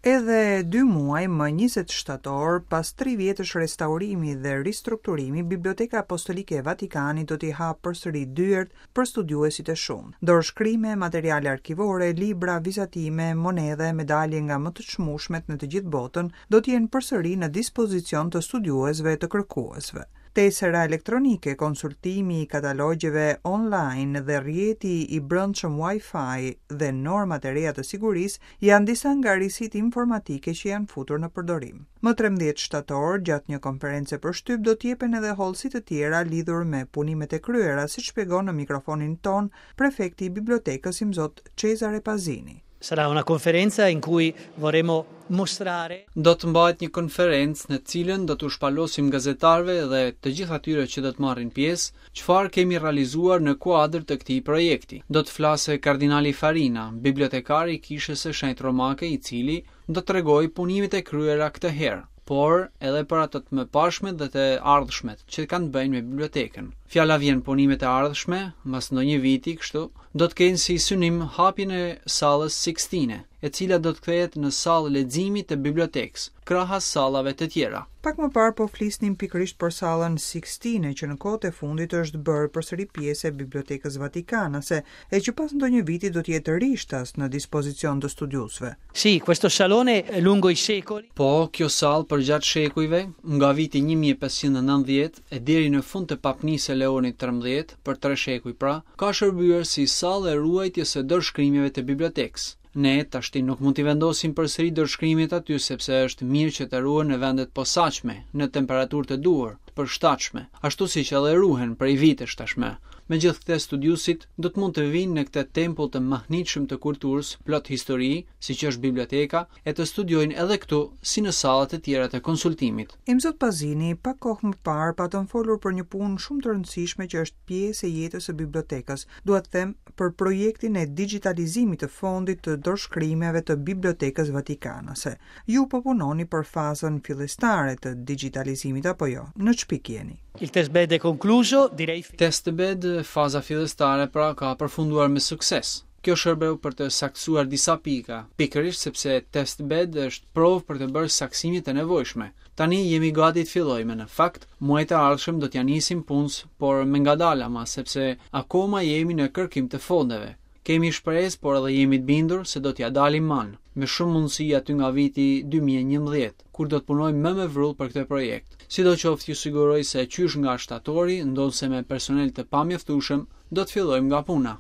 Edhe dy muaj më 20 shtator, pas tri vjetësh restaurimi dhe ristrukturimi, Biblioteka Apostolike e Vatikanit do t'i hapë përsëri dyert për studiuesit e shumtë. Dorëshkrime, materiale arkivore, libra, vizatime, monedha e medalje nga më të çmueshmet në të gjithë botën do të jenë përsëri në dispozicion të studiuesve e të kërkuesve. Tesera elektronike, konsultimi i katalogjeve online dhe rrjeti i brendshëm Wi-Fi dhe normat e reja të sigurisë janë disa nga risitë informatike që janë futur në përdorim. Më 13 shtator, gjatë një konference për shtyp, do të jepen edhe hollësi të tjera lidhur me punimet e kryera, siç shpjegon në mikrofonin tonë prefekti i bibliotekës Imzot Cesare Pazini. Sarà una conferenza in cui vorremmo mostrare Do të mbahet një konferencë në të cilën do t'u shpalosim gazetarëve dhe të gjithë atyre që do të marrin pjesë, çfarë kemi realizuar në kuadër të këtij projekti. Do të flasë kardinali Farina, bibliotekari i Kishës së Shenjtë Romake, i cili do të tregojë punimet e kryera këtë herë, por edhe për ato të mëparshmet dhe të ardhshmet që kanë të bëjnë me bibliotekën. Fjala vjen punimet e ardhshme, mbas ndonjë viti kështu, do të kenë si synim hapjen e sallës Sixtine, e cila do të kthehet në sallë leximi të bibliotekës, krahas sallave të tjera. Pak më parë po flisnim pikërisht për sallën Sixtine, që në kohët e fundit është bërë përsëri pjesë e Bibliotekës Vatikanase, e që pas ndonjë viti do të jetë rishtas në dispozicion të studiuesve. Sì, questo salone lungo i secoli. Po, kjo sallë përgjatë shekujve, nga viti 1590 e deri në fund të papnisë së Leonit 13, për tre shekuj pra, ka shërbyer si sallë e ruajtjes së dorëshkrimeve të bibliotekës. Ne tashti nuk mund t'i vendosim përsëri dorëshkrimet aty sepse është mirë që të ruhen në vende të posaçme, në temperaturë të duhur, të përshtatshme, ashtu siç edhe ruhen prej vitesh tashmë. Megjithëkëtë studiuesit do të mund të vijnë në këtë tempull të mahnitshëm të kulturës, plot histori, siç është biblioteka, e të studiojnë edhe këtu, si në sallat e tjera të konsultimit. Imzot Pazini, pak kohë më parë patëm folur për një punë shumë të rëndësishme që është pjesë e jetës së bibliotekës, dua të them për projektin e digjitalizimit të fondit të dorëshkrimeve të Bibliotekës Vatikanase. Ju po punoni për fazën fillestare të digjitalizimit apo jo? Në ç'pikë jeni? Il test bed è concluso, direi. Test bed, faza fillestare pra ka përfunduar me sukses. Kjo shërbeu për të saktësuar disa pika, pikërisht sepse test bed është provë për të bërë saktësimet e nevojshme. Tani jemi gati të fillojmë, në fakt, muajt e ardhshëm do t'ia nisim punës, por me ngadalë ama, sepse akoma jemi në kërkim të fondeve. Kemi shpresë, por edhe jemi të bindur se do t'ia dalim mbanë, me shumë mundësi aty nga viti 2011, kur do të punojmë më me vrull për këtë projekt. Sidoqoftë ju siguroj se qysh nga shtatori, ndonëse me personel të pamjaftueshëm, do të fillojmë nga puna.